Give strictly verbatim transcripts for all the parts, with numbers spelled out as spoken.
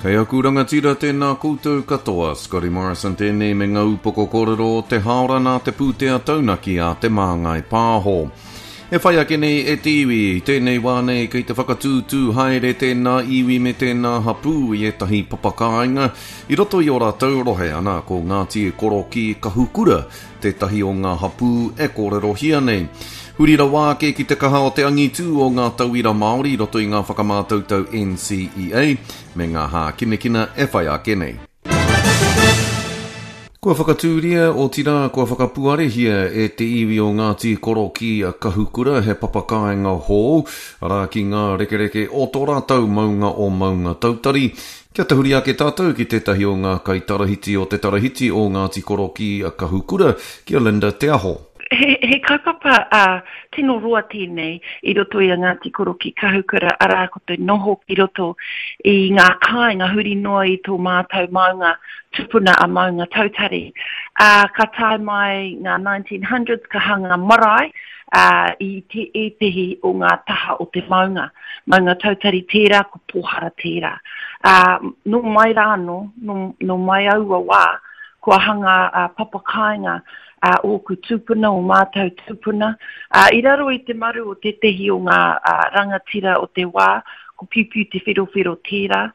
Kei aku rangatira tēnā koutou katoa, Scotty Morrison tēnei me ngā upoko kōrero o te haora nā te pūtea taunaki a Te Māngai Pāho. E whai ake nei e te iwi, i tēnei wā nei kei te whakatūtū haere tēnā iwi me tēnā hapū i ētahi papakāinga i roto i ō rātou rohe, ana ko Ngāti Korokī Kahukura tētahi o ngā hapū e kōrerohia nei. Huri rawa ake ki te kaha o te angitū o ngā tauira Māori i roto i ngā whakamātautau N C E A me ngā hākinakina e whai ake nei. Kua whakatūria, otirā kua whakapuarehia e te iwi o Ngāti Korokī Kahukura he papakāinga hou, arā ki ngā rekereke o tō rātou maunga o Maunga Tautari. Kia tahuri ake tātou ki tētahi o ngā kaitarahiti o te tarahiti o Ngāti Korokī Kahukura, ki a Linda Te Aho. He, he kaupapa uh, tino roa tēnei i roto i a Ngāti Korokī Kahukura, arā ko te noho ki roto i ngā kāinga huri noa i tō mātau maunga tupuna a Maunga Tautari. Uh, ka tae mai ngā nineteen hundreds, ka hanga marae uh, i te ētehi o ngā taha o te maunga. Maunga Tautari tērā, ko Pōhara tērā. Uh, nō mai rā anō, nō, nō mai aua wā, kua hanga uh, papakāinga a uh, ōku tūpuna, o mātau tūpuna. Uh, i raro i te maru o tētehi o ngā uh, rangatira o te wā, ko Piupiu Te Wherowhero tērā.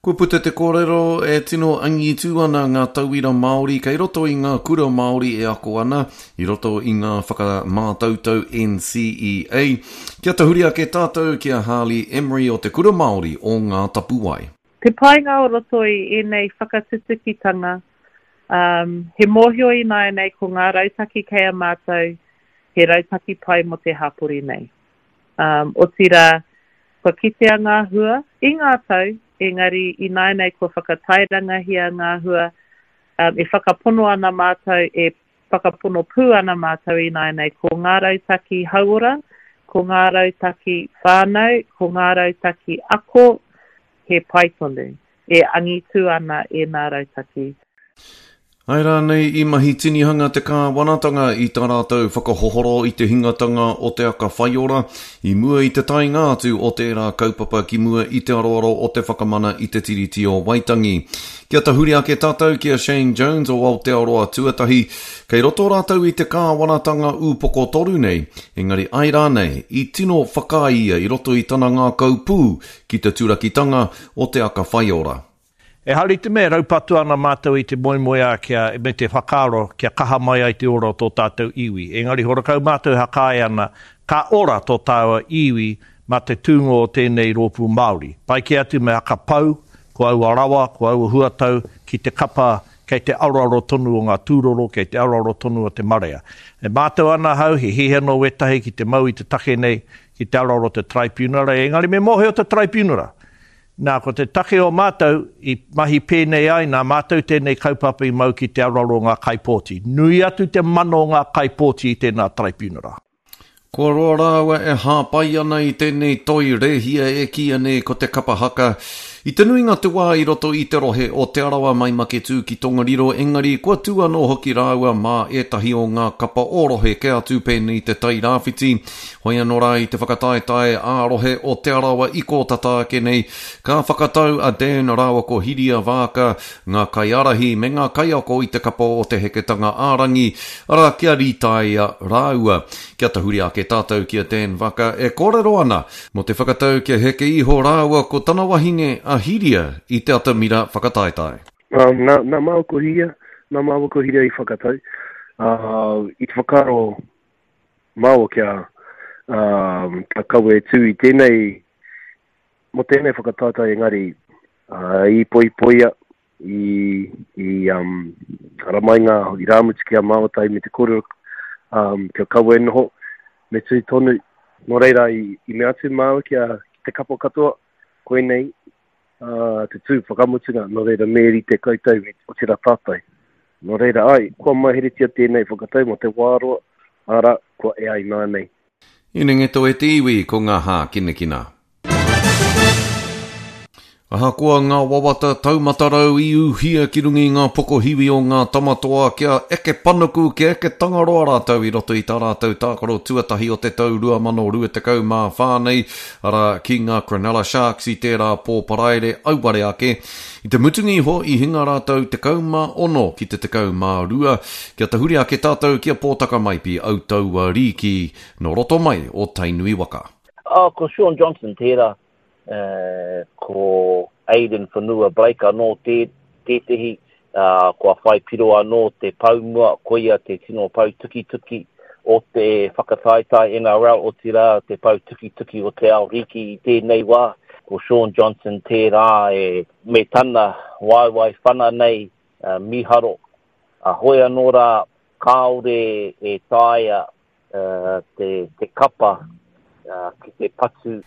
Kua puta te kōrero e tino angitū ana ngā tauira Māori kei roto i ngā kura Māori e ako ana, i roto i ngā whakamātautau N C E A. Kia tahuri ake tātou ki a Harley Emery o te Kura Māori o Ngā Tapuwae. Te painga o roto i ēnei whakatutukitanga, um, he mōhio ināianei ko ngā rautaki kei a mātou, he rautaki pai mō te hapori nei. Um, otirā, kua kitea ngā hua i ngā tau, engari ināianei kua whakatairangahia ngā hua, um, e whakapono ana mātou, e whakapono pū ana mātou ināianei ko ngā rautaki hauora, ko ngā rautaki whānau, ko ngā rautaki ako, he pai tonu, e angitu ana e ngā rautaki. Ai rānei i mahi tinihanga te kāwanatanga i tā rātou whakahohoro i te hingatanga o te aka whaiora, i mua i te taenga atu o tērā kaupapa ki mua i te aroaro o te whakamana i te Tiriti o Waitangi. Kia tahuri ake tātou ki a Shane Jones o Aotearoa Tuatahi, kei roto rātou i te kāwanatanga ūpoko toru nei, engari ai rānei i tino whakaae ia i roto i tana ngākau pū ki te turakitanga o te aka whaiora. E hari te mea raupatu ana mātou i te moemoeā kia, me te whakaaro kia kaha mai ai te ora o tō tātou iwi. Engari horakau mātou hakae ana, ka ora tō tāua iwi mā te tūngo o tēnei rōpū Māori. Pai ki atu me hakapau, ko aua rawa, ko aua huatau, ki te kapa kei te aroaro tonu o ngā tūroro, kei te aroaro tonu o te marea. E mātou ana hau, he hihi anō wetahi ki te mau i te take nei, ki te aroaro te tribunara, engari me mōhio te tribunara. Nā, ko te take o mātou i mahi pēnei ai, nā mātou tēnei kaupapa i mau ki te aroaro o ngā kaipōti. Nui atu te mana o ngā kaipōti i tēnā tribunara. Kua roa rāua e hāpai ana i tēnei toi rehia e kīia nei ko te kapa haka. I te nuinga te wā i roto i te rohe o Te Arawa mai Maketū ki Tongariro, engari kua tū anō hoki rāua mā ētahi o ngā kapa o rohe ke atu pēnei te Tairāwhiti. Hoi anō rā i te whakataetae ā rohe o Te Arawa i kōtata ake nei, ka whakatau a Dan rāua ko Hiria Vāka, ngā kaiārahi me ngā kaiako i te kapa o te heketanga ārangi, arā kia rītaia rāua. Kia tahuri ake tātou ki a Dan Vaka e kōrero ana mō te whakatau kia heke iho rāua ko tana wahine a Hiria i te atamira whakataetae. Um, nā, nā māua ko Hiria, nā māua ko Hiria i whakatau. Uh, i te whakaaro māua kia, um, kia kawe tū i tēnei, mō tēnei whakataetae engari, uh, i poipoia, i, i um, ara mai ngā i rāmutu ki a māua tai me te kōrero, um, kia kawe noho, me tū tonu. Nō reira, i, i mea atu māua kia ki te kapo katoa, koinei, uh, te tū whakamutunga, nō reira me rite koutou me o tērā tātai. Nō reira, ai, kua maheretia tēnei whakatau mō te wāroa, ara, kua e ai nā nei. Inengeto e te iwi ko ngā hākinakina. Ahakoa ngā wawata taumata rau i uhia ki runga i ngā pokohiwi o ngā tamatoa kia eke panuku, kia eke tangaroa rātou i roto i tā rātou tākaro tuatahi o te tau rua mano rua tekau mā whā nei, arā, ki ngā Cronulla Sharks i tērā pō Paraire auare ake. I te mutunga iho i hinga rātou tekau mā ono ki te tekau mā rua, kia tahuri ake tātou ki a Pōtaka Maipi Autaua Rīki nō roto mai o Tainui waka. Oh, ko Shaun Johnson tērā. Ko Aiden Whanua Blake anō tētehi, kua whai piro anō te poumua, koia te tino pou tukituki o te whakataetae N R L, otirā te pou tukituki o te ao riki i tēnei wā. Ko Shaun Johnson tērā e me tana waewae whana nei miharo. Hoi anō rā, kāore e taea te, te kapa ki te patu.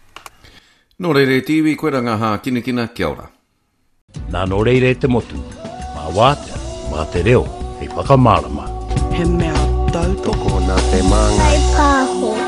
Nō reira e te iwi, koe rā ngā hākinakina, kia ora. Nā nō reira e te motu, mā wātea, mā te reo, hei whakamārama. He mea tautoko nā te māngai. Whai pāho.